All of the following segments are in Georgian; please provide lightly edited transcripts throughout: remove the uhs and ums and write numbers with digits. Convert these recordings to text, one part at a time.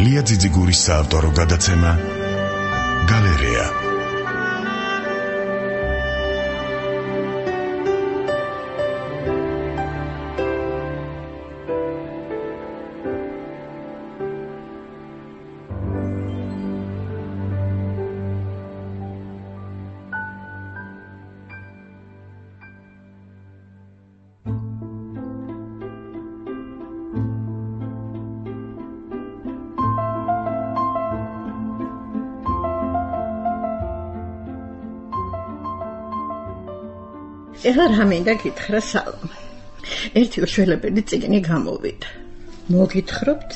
ლია ძიძიგურის საავტორო გადაცემა გალერეა. ეხლა რა მინდა გითხრა სალომე. ერთი უშველებელი წიგნი გამოვიდა. მოგითხრობთ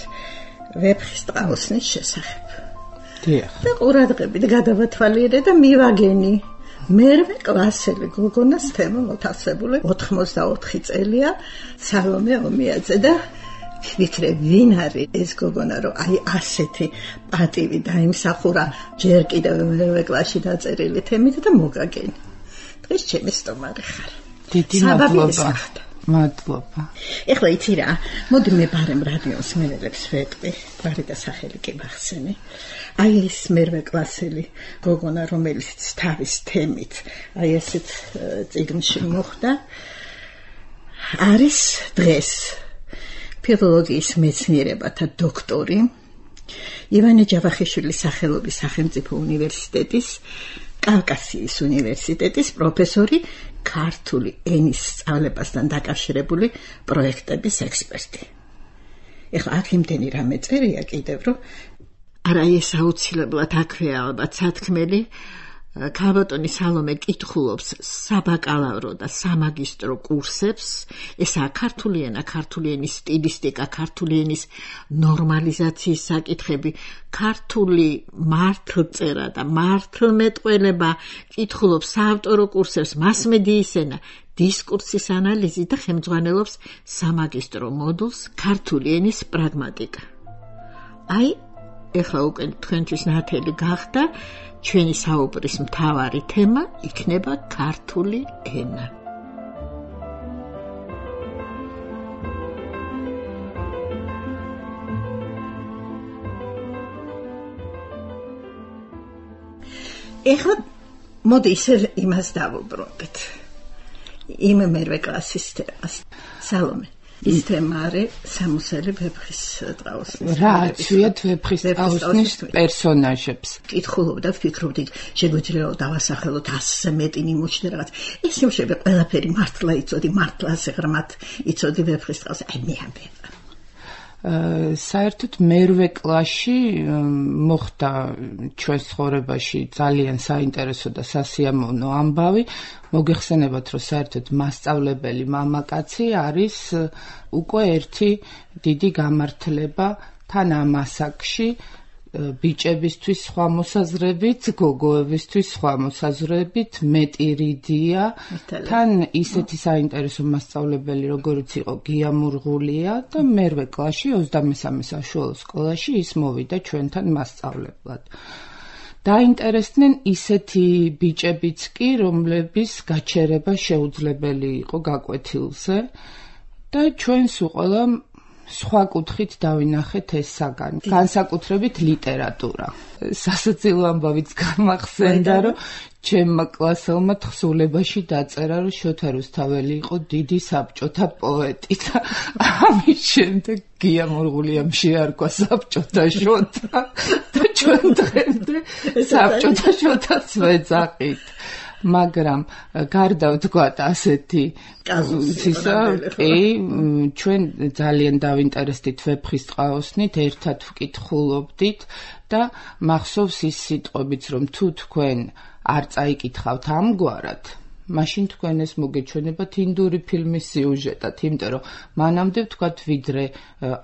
ვეფხის ტყაოსნის შესახებ. დიახ. და ყურადღებით გადავათვალიერე და მივაგენი. მერვე კლასელი გოგონას თემა მოთავსებული 84 წელია სალომე ომიაძე და ვიქრე ვინ არის ეს გოგონა რომ აი ასეთი პატივი დაიმსახურა ჯერ კიდევ მერვე კლასში დაწერილი თემით და მოგაგენი. დღეს ჩემი სტომარი ხარ. დიდი მადლობა. მადლობა. ეხლა იცი რა, მოდი მე ბარემ რადიოს მენელებს ვეტყვი, გვარი და სახელი კი მახსენე. აი ეს მერვე კლასელი გოგონა, რომელიც თავის თემით, აი ესეთ წიგნში მოხვდა, არის დღეს ფილოლოგიის მეცნიერებათა დოქტორი, ივანე ჯავახიშვილის სახელობის სახელმწიფო უნივერსიტეტის კავკასიის უნივერსიტეტის პროფესორი, ქართული ენის სწავლებასთან დაკავშირებული პროექტების ექსპერტი. ეხლა აქ იმდენი რამე წერია კიდევ, რომ არა ეს აუცილებლად აქვეა ალბათ სათქმელი, ქალბატონი სალომე კითხულობს საბაკალავრო და სამაგისტრო კურსებს, ესაა ქართული ენა, ქართული ენის სტილისტიკა, ქართული ენის ნორმალიზაციის საკითხები, ქართული მართლწერა და მართლმეტყველება, კითხულობს საავტორო კურსებს, მასმედიის ენა, დისკურსის ანალიზი და ხელმძღვანელობს სამაგისტრო მოდულს ქართული ენის პრაგმატიკა. აი, ეხლა უკვე თქვენთვის ნათელი გახდა, ჩვენი საუბრის მთავარი თემა იქნება ქართული ენა. ეხლა მოდი ისე იმას დავუბრუნდეთ. იმ მერვე კლასის თემას. სალომე, ის თემა არის სამოსელი ვეფხის ტყაოსნის. რა აცვიათ ვეფხის ტყაოსნის პერსონაჟებს. კითხულობდა, ვფიქრობდი, შეგვიძლია დავასახელოთ 100-ზე მეტი ნიმუში და რაღაც. ეს ნიმუშები ყველაფერი მართლა იცოდი, მართლა ასე ღრმად იცოდი ვეფხის ტყაოს. აი მე ამბე. საერთოდ მერვე კლასში მოხდა ჩვენ ცხოვრებაში ძალიან საინტერესო და სასიამოვნო ამბავი. მოგეხსენებათ, რომ საერთოდ მასწავლებელი მამაკაცი არის უკვე ერთი დიდი გამართლება თან ამ ასაკში, ბიჭებისთვის სხვა მოსაზრებით, გოგოებისთვის სხვა მოსაზრებით, მეტი რიდია, თან ისეთი საინტერესო მასწავლებელი, როგორც იყო გია მურღულია და მერვე კლასში 23 საშუალო სკოლაში ის მოვიდა ჩვენთან მასწავლებლად. დაინტერესდნენ ისეთი ბიჭებიც კი, რომლების გაჩერება შეუძლებელი იყო გაკვეთილზე და ჩვენს უყოლა სხვა კუთხით დავინახეთ ეს საგანი, განსაკუთრებით ლიტერატურა. სასაცილო ამბავიც გამახსენდა, რომ ჩემმა კლასელმა თხზულებაში დაწერა, რომ შოთა რუსთაველი იყო დიდი საბჭოთა პოეტი და ამის შემდეგ გია მურღულიამ შეარქვა საბჭოთა შოთა და ჩვენ დღემდე საბჭოთა შოთაც ვეძახით. მაგრამ გარდა ვთქვათ ასეთი კაზუსისა, ჩვენ ძალიან დავინტერესდით ვეფხის ტყაოსნით, ერთად ვკითხულობდით და მახსოვს ის სიტყვებიც, რომ თუ თქვენ არ წაიკითხავთ ამგვარად, მაშინ თქვენ ეს მოგეჩვენებათ ინდური ფილმის სიუჟეტად, იმიტომ რომ მანამდე ვთქვათ, ვიდრე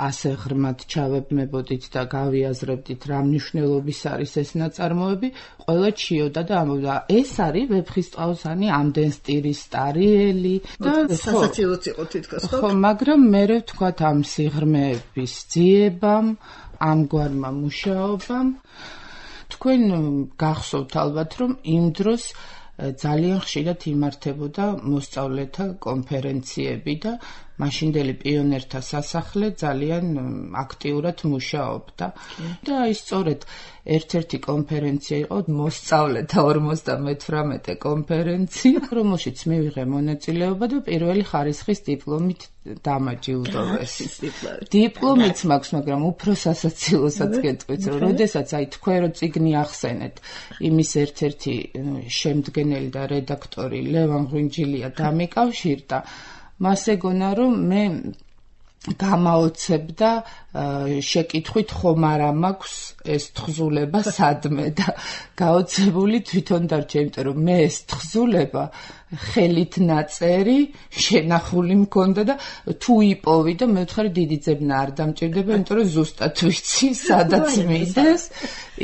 ასე ღრმად ჩავებმებოდით და გავიაზრებდით რა მნიშვნელობის არის ეს ნაწარმოები, ყველა ჩიოდა და ამბობდა, ეს არის ვეფხის ტყაოსანი, ამდენ სტილის სტარიელი და სასაცილოც იყო თითქოს, ხო, მაგრამ მე ვთქვათ ამ სიღრმეების ძიებამ, ამგვარმა მუშაობამ, თქვენ გახსოვთ ალბათ, რომ იმ დროს ძალიან ხშირად იმართებოდა მოსწავლეთა კონფერენციები და მაშინდელი პიონერთა სასახლე ძალიან აქტიურად მუშაობდა. და ის სწორედ ერთ-ერთი კონფერენცია იყო მოსწავლეთა 58 კონფერენცია, რომელშიც მივიღე მონაწილეობა და პირველი ხარისხის დიპლომით დამაჯილდოვეს. დიპლომიც მაქვს, მაგრამ უფრო სასაცილოსაც გეტყვით, რომ როდესაც თქვენ რო წიგნი ახსენეთ, იმის ერთ-ერთი შემდგენელი და რედაქტორი ლევან ღვინჯილია დამიკავშირდა, მას ეგონა რომ მე გამაოცებდა შეკითხვით ხომ არა მაქვს ეს თხზულება სადმე და გაოცებული თვითონ დარჩა, იმიტომ რომ მე ეს თხზულება ხელით ნაწერი შენახული მქონდა და თუ იპოვი და მე ვთხარი დიდი ძებნა არ დამჭირდება, იმიტომ რომ ზუსტად ვიცი სადაც მიდის,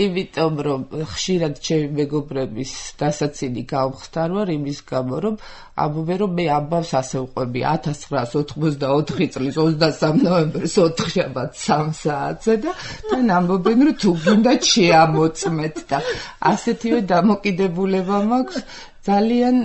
იმიტომ რომ ხშირად ჩემი მეგობრების დასაცინი გავხსარ ვარ იმის გამო, რომ ამბობენ რომ მე ამბავს ასე ვყვები 1984 წლის 23 ნოემბერს 4 შაბათ 3 საათზე და თან ამბობენ რომ თუ გინდათ შეამოწმეთ და ასეთივე დამოკიდებულება მაქვს ძალიან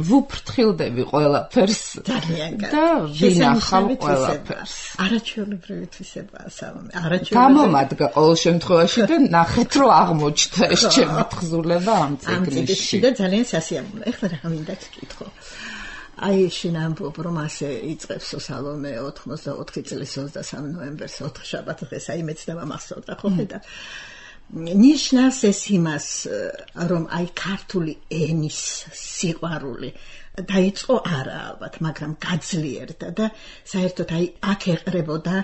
ვუფრთხილდები ყველაფერს და ვინახავ ყველაფერს. არაჩვეულებრივი თვისებაა სალომე. გამომადგა ყოველ შემთხვევაში და ნახეთ რომ აღმოჩნდა ეს ჩემი თხზულება ამ წიგნში და ძალიან სასიამოვნო. ეხლა რა მინდა გკითხო. აი შენ ამბობ რომ ასე იწყებს სალომე 84 წლის 23 ნოემბერს 4 შაბათ დღეს აი მეც დავამახსოვრდა ხო ხედა ნიშნავს ეს იმას რომ აი ქართული ენის სიყვარული დაიწყო არა ალბათ მაგრამ გაძლიერდა და საერთოდ აი აქ ეყრებოდა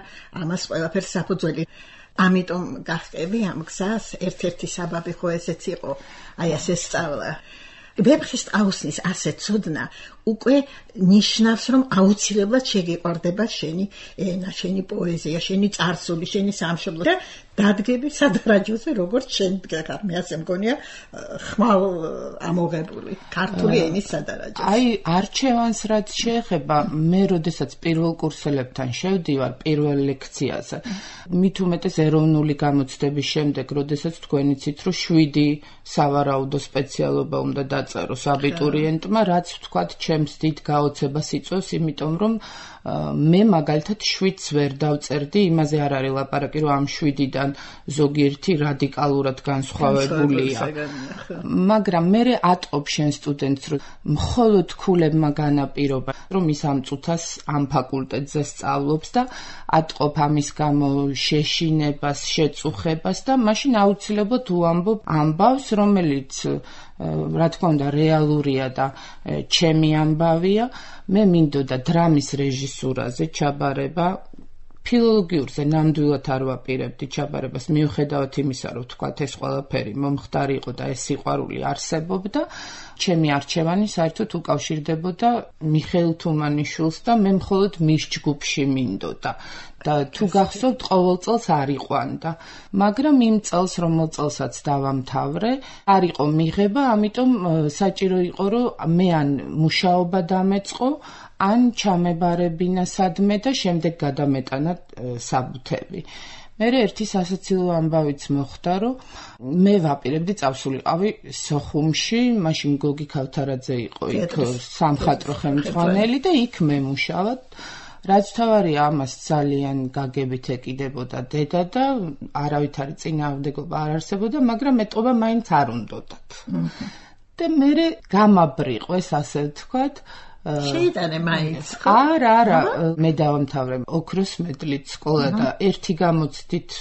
ამას ყველაფერს საფუძველი ამიტომ გახტები ამ გზას ერთ-ერთი საბაბი ხო ესეც იყო აი ასე სწავლა ვეფხის აუსნის ასე ცოდნა უკვე ნიშნავს რომ აუცილებლად შეგიყვარდება შენი ენა, შენი პოეზია, შენი წარსული, შენი სამშობლო და დადგები სადარაჯოზე როგორც შენ მე ასე მგონია ხმალ ამოღებული ქართული ენის სადარაჯოზე. აი არჩევანს რაც შეეხება მე როდესაც პირველ კურსელებთან შევდივარ პირველ ლექციაზე მით უმეტეს ეროვნული გამოცდების შემდეგ როდესაც თქვენ იცით რომ 7 სავარაუდო სპეციალობა უნდა დაწეროს აბიტურიენტმა რაც ვთქვათ ჩემს დიდ გაოცებას იწვევს იმიტომ რომ მე მაგალითად 7-ს ვერ დავწერდი იმაზე არ არის ლაპარაკი რომ ამ 7-დან ზოგიერთი რადიკალურად განსხვავებულია მაგრამ მე ატყობ შენ სტუდენტს რომ მხოლოდ ქულებმა განაპირობა რომ ის ამ წუთას ამ ფაკულტეტზე სწავლობს და ატყობ ამის გამო შეშინებას შეწუხებას და მაშინ აუცილებლად უამბობ ამბავს რომელიც რა თქმა უნდა რეალურია და ჩემი ამბავია მე მინდოდა დრამის რეჟისურაზე ჩაბარება ფილოლოგიურზე ნამდვილად არ ვაპირებდი ჩაბარებას მიუხედავად იმისა რომ თქვათ ეს ყველაფერი მომხდარი იყო და ეს სიყვარული არსებობდა ჩემი არჩევანი საერთოდ უკავშირდებოდა მიხეილ თუმანიშვილს და მე მხოლოდ მის ჯგუფში მინდოდა და თუ გახსოვთ ყოველ წელს არ იყვანდა მაგრამ იმ წელს რომელ წელსაც დავამთავრე არ იყო მიღება ამიტომ საჭირო იყო რომ მე ან მუშაობა დამეწყო ან ჩამებარებინა სადმე და შემდეგ გადამეტანა საბუთები. მე ერთი სასაცილო ამბავიც მოხდა, რომ მე ვაპირებდი წავსულიყავი სოხუმში, მაშინ გოგი ქავთარაძე იყო იქ სამხატვრო ხელმძღვანელი და იქ მე მუშაობ. რაც თავარია ამას ძალიან გაგებით ეკიდებოდა დედა და არავითარი წინააღმდეგობა არ არსებობდა, მაგრამ მეტყობა მაინც არ უნდოდათ. და მე გამაბრიყვეს ასე ვთქვათ შეიტანე მაინც არა მე დავამთავრე ოქროს მედლით სკოლა და ერთი გამოცდით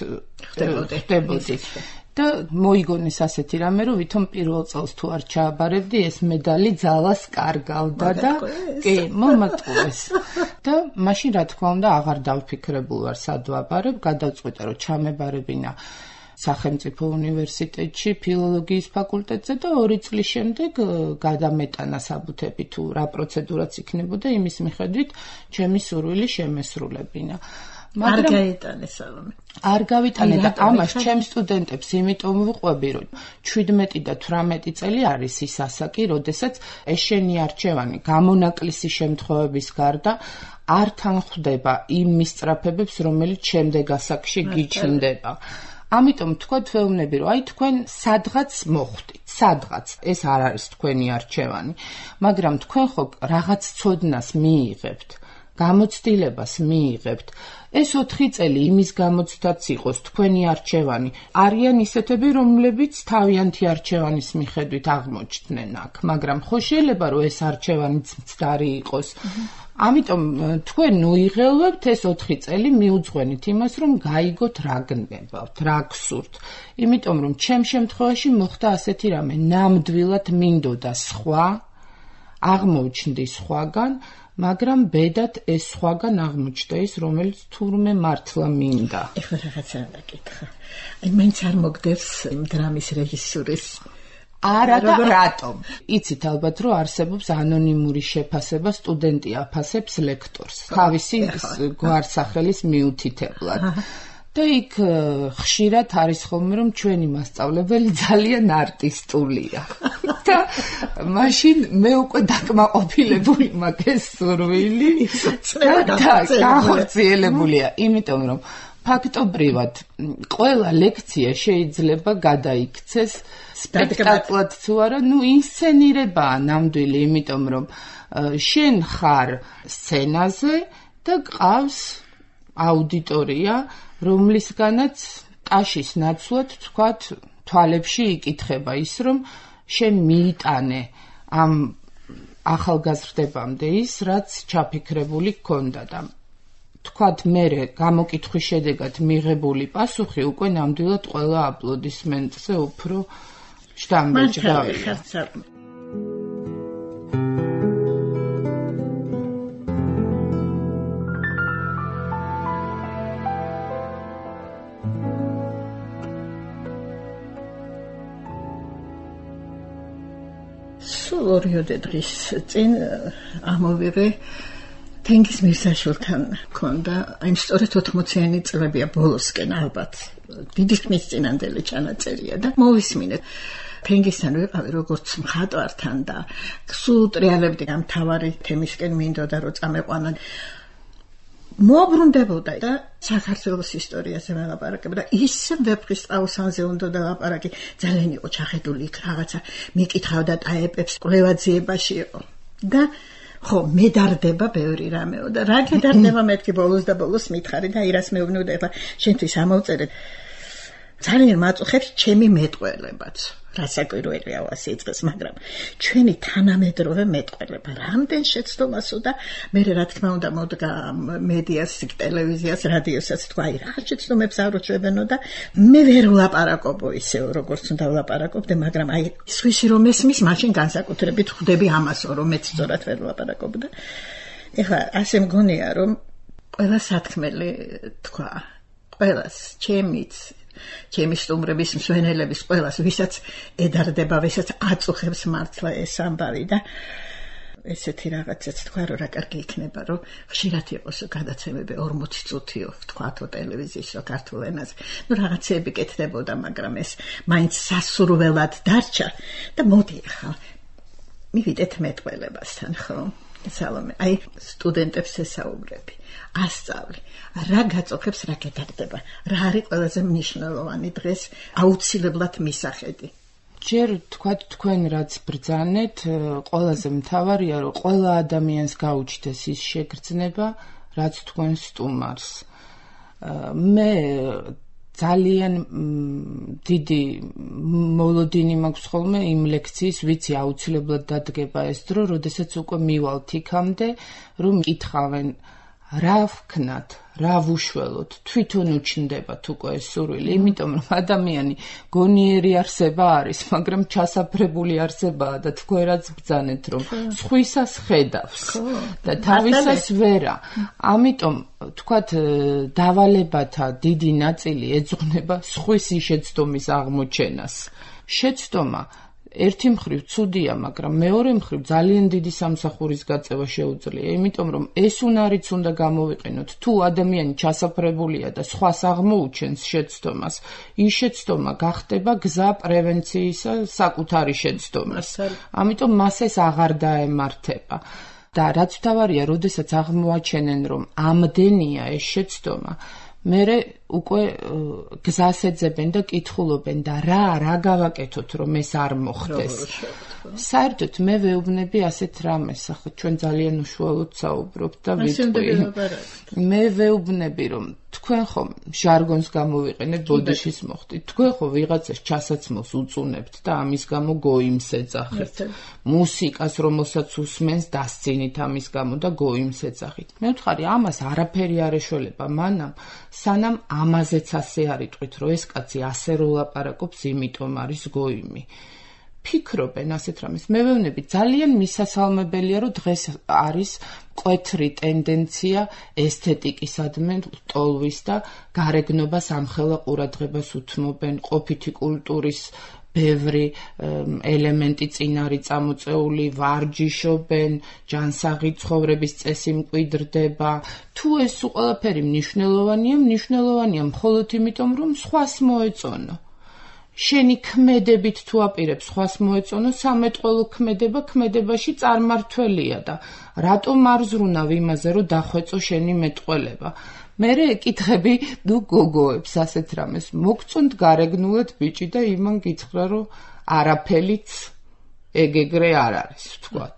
ხდებოდი და მოიგონეს ასეთი რამე რომ ვითომ პირველ წელს თუ არ ჩააბარებდი ეს მედალი ძალას კარგავდა და კი მომატყუეს და მაშინ რა თქმა უნდა აღარ დავფიქრებულ ვარ სად ვაბარებ გადავწყვიტე რომ ჩამებარებინა სახელმწიფო უნივერსიტეტში ფილოლოგიის ფაკულტეტზე და 2 წლის შემდეგ გადამეტანა საბუთები თუ რა პროცედურაც იქნებოდა იმის მიხედვით ჩემი სურვილი შემესრულებინა. არ გაიტანე სალომე. არ გავიტანე და ამას ჩემ სტუდენტებს იმიტომ ვუყვები რომ 17 და 18 წელი არის ის ასაკი, როდესაც ეს შენი არჩევანი გამონაკლისი შემთხვევების გარდა არ თანხდება იმ მისწრაფებებს რომელიც შემდეგ ასაკში გიჩნდება. ამიტომ თქვენ ვეუბნები რომ აი თქვენ სადღაც მოხვდით, სადღაც ეს არ არის თქვენი არჩევანი, მაგრამ თქვენ ხო რაღაც ცოდნას მიიღებთ გამოცდილებას მიიღებთ. ეს 4 წელი იმის გამოცდაც იყოს თქვენი არჩევანი. არიან ისეთები, რომლებიც თავიანთი არჩევანის მიხედვით აღმოჩნდნენ აქ, მაგრამ ხო შეიძლება რომ ეს არჩევანიც მცდარი იყოს. ამიტომ თქვენ უიღელვებთ ეს 4 წელი მიუძღვენით იმას, რომ გაიგოთ რა გნებავთ, რა გსურთ. იმიტომ რომ ჩემ შემთხვევაში მოხდა ასეთი რამე, ნამდვილად მინდოდა სხვა, აღმოჩნდი სხვაგან, მაგრამ ბედად ეს სხვაგან აღმოჩნდა ის, რომელიც თურმე მართლა მინდა. ეხლა რაღაცა დაკითხა. მაინც არ მოგდევს დრამის რეჟისურის არა და რატომ? იცით ალბათ, რომ არსებობს ანონიმური შეფასება, სტუდენტი აფასებს ლექტორს, თავისი გვარსახელის მიუთითებლად. და იქ ხშირად არის ხოლმე, რომ ჩვენი მასწავლებელი ძალიან არტისტულია. და მაშინ მე უკვე დაკმაყოფილებული მაქვს სურვილი და განხორციელებულია, იმიტომ რომ ფაქტობრივად ყველა ლექცია შეიძლება გადაიქცეს სპექტაკლად თუ არა, ინსცენირებაა ნამდვილი, იმიტომ რომ შენ ხარ სცენაზე და გყავს აუდიტორია, რომლისგანაც ტაშის ნაცვლად თქვათ თვალებში იკითხება ის, რომ შენ მიიტანე ამ ახალგაზრდებამდე ის, რაც ჩაფიქრებული გქონდა და თქვათ მერე გამოკითხვის შედეგად მიღებული პასუხი უკვე ნამდვილად ყველა აპლოდისმენტზე უფრო შთამბეჭდავია. სულ 2 დღის წინ ამოვიღე თენგიზ მირზაშვილთან მქონდა, აი სწორედ 80-იანი წლებია ბოლოსკენ ალბათ. დიდი ხნის წინანდელი ჩანაწერია და მოვისმინე. თენგიზთან ვიყავი როგორც მხატვართან და სულ ტრიალებდი ამ თავარი თემისკენ მინდოდა რომ წამეყვანა. მოbrunდებოდა და საქართველოს ისტორიაზე ველაპარაკებდა და ისე ვეფხის ტყაოსანზე უნდა ლაპარაკი, ძალიან იყო ჩახედული იქ რაღაცა მიკითხავდა ტაეპებს, კვლევაძიებაში იყო და ხო მედარდება ბევრი რამეო და რა გედარდება მეთქი ბოლოს და ბოლოს მითხარი და ირას მეუბნებოდა ეხლა შენთვის ამოვწერეთ ძალიან მაწუხებს ჩემი მეტყველებაც რასაკვირველია ასე იწყეს მაგრამ ჩვენი თანამედროვე მეტყველება რამდენ შეცდომასო და მე რა თქმა უნდა მოდგა მედიას ტელევიზიას რადიოსაც თქვა აი რა შეცდომებს აროჩვებენო და მე ვერ ვლაპარაკობო ისე როგორც უნდა ვლაპარაკობდე მაგრამ აი სვისი რომ ესმის მაშინ განსაკუთრებით ხვდები ამასო რომ მეც სწორად ვერ ვლაპარაკობდა ეხლა ასე მგონია რომ ყველა სათქმელი თქვა ყველას ჩემიც ჩემი სტუმრების მსვენელების ყველას ვისაც ედარდება ვისაც აწუხებს მართლა ეს ამბავი და ესეთი რაღაცაც თქვა რომ რა კარგი იქნება რომ ხშირად იყოს გადაცემები 40 წუთიო თქვათო ტელევიზიისო ქართულ ენაზე ნუ რაღაცები კეთდებოდა მაგრამ ეს მაინც სასურველად დარჩა და მოდი ახლა მივიდეთ მეტყველებასთან ხო სალომე აი სტუდენტებს ესაუბრები ასწავლი რა გაწოხებს რა გეტარდება რა არის ყველაზე მნიშვნელოვანი დღეს აუცილებლად მისახედი ჯერ თქვათ თქვენ რაც ბრძანეთ ყველაზე მთავარია რომ ყველა ადამიანს გაუჩნდეს ის შეგრძნება რაც თქვენ სტუმარს მე ძალიან დიდი მოლოდინი მაქვს ხოლმე იმ ლექციის ვიცი აუცილებლად დადგება ეს დრო როდესაც უკვე მივალთ იქამდე რომ მკითხავენ რა ვქნათ, რა ვუშველოთ, თვითონ უჩნდებათ უკვე ეს სურვილი, იმიტომ რომ ადამიანი გონიერი არსება არის, მაგრამ ჩასაფრებული არსებაა და თქვენ რაც ბრძანეთ, რომ სხვისას ხედავს და თავისას ვერა. ამიტომ თქვათ დავალებათა დიდი ნაწილი ეძღვნება სხვისი შეცდომის აღმოჩენას. შეცდომა ერთი მხრივ ცუდია, მაგრამ მეორე მხრივ ძალიან დიდი სამსახურის გაწევა შეუძლია, იმიტომ რომ ეს უნარიც უნდა გამოვიყენოთ. თუ ადამიანი ჩასაფრებულია და სხვას აღმოუჩენს შეცდომას, ის შეცდომა გახდება გზა პრევენციისა საკუთარი შეცდომას. ამიტომ მას ეს აღარ დაემართება. და რაც მთავარია, როდესაც აღმოაჩენენ, რომ ამდენია ეს შეცდომა, მერე უკვე გზას ეძებენ და კითხულობენ და რა გავაკეთოთ რომ ეს არ მოხდეს საერთოდ მე ვეუბნები ასეთ რამეს, ახლა ჩვენ ძალიან უშუალოდ საუბრობთ და ვიტყვი. მე ვეუბნები, რომ თქვენ ხომ ჟარგონს გამოვიყენეთ, ბოდიშის მოხდით. თქვენ ხო ვიღაცას ჩასაცმელს უწუნებთ და ამის გამო გოიმს ეძახით. მუსიკას, რომელსაც უსმენს, დასცინით ამის გამო და გოიმს ეძახით. მე ვთქვი, ამას არაფერი არ ეშველება მანამ, სანამ ამაზეც ასე არ იტყვით, რომ ეს კაცი ასე რო ლაპარაკობს, იმიტომ არის გოიმი. ფიქრობენ ასეთ რამეს. მე ვეუბნები, ძალიან მისასალმებელია, რომ დღეს არის მკვეთრი ტენდენცია ესთეტიკისადმი ტოლვის და გარეგნობას ამხელა ყურადღებას უთმობენ, ყოფითი კულტურის ბევრი ელემენტი წინ არის წამოწეული, ვარჯიშობენ, ჯანსაღი ცხოვრების წესი მკვიდრდება. თუ ეს ყველაფერი მნიშვნელოვანია მხოლოდ იმიტომ, რომ სხვას მოეწონო. შენი ქმედებით თუ აპირებს სხვას მოეწონო, სამეტყველო ქმედებაში წარმართველია და რატომ არ ზრუნავ იმაზე, რომ დახვეწო შენი მეტყველება. მერე ეკითხები ნუ გოგოებს ასეთ რამეს, მოგწონთ გარეგნულად ბიჭი და იმან გითხრა, რომ არაფერიც ეგეგრე არ არის, ვთქვათ.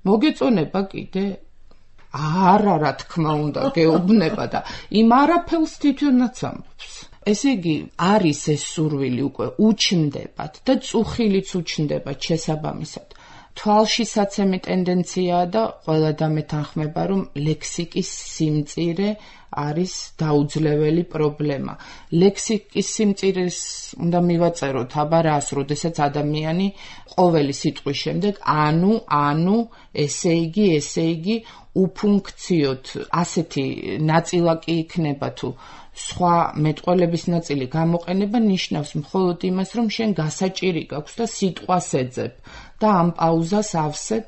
მოგეწონება კიდე? არა, რა თქმა უნდა, გეუბნება და იმ არაფერს თვითონაც ამბობს. ესე იგი, არის ეს სურვილი უკვე უჩნდებათ და წუხილიც უჩნდებათ შესაბამისად. თვალშისაცემი ტენდენციაა და ყველა დამეთანხმება, რომ ლექსიკის სიმწირე არის დაუძლეველი პრობლემა. ლექსიკის სიმწირეს უნდა მივაწეროთ აბა რას, როდესაც ადამიანი ყოველი სიტყვის შემდეგ ანუ, ესე იგი, უფუნქციოდ ასეთი ნაწილაკი იქნება თუ სხვა მეტყველების ნაწილი გამოყენება ნიშნავს მხოლოდ იმას, რომ შენ გასაჭირი გაქვს და სიტყვას ეძებ და ამ პაუზას ავსებ,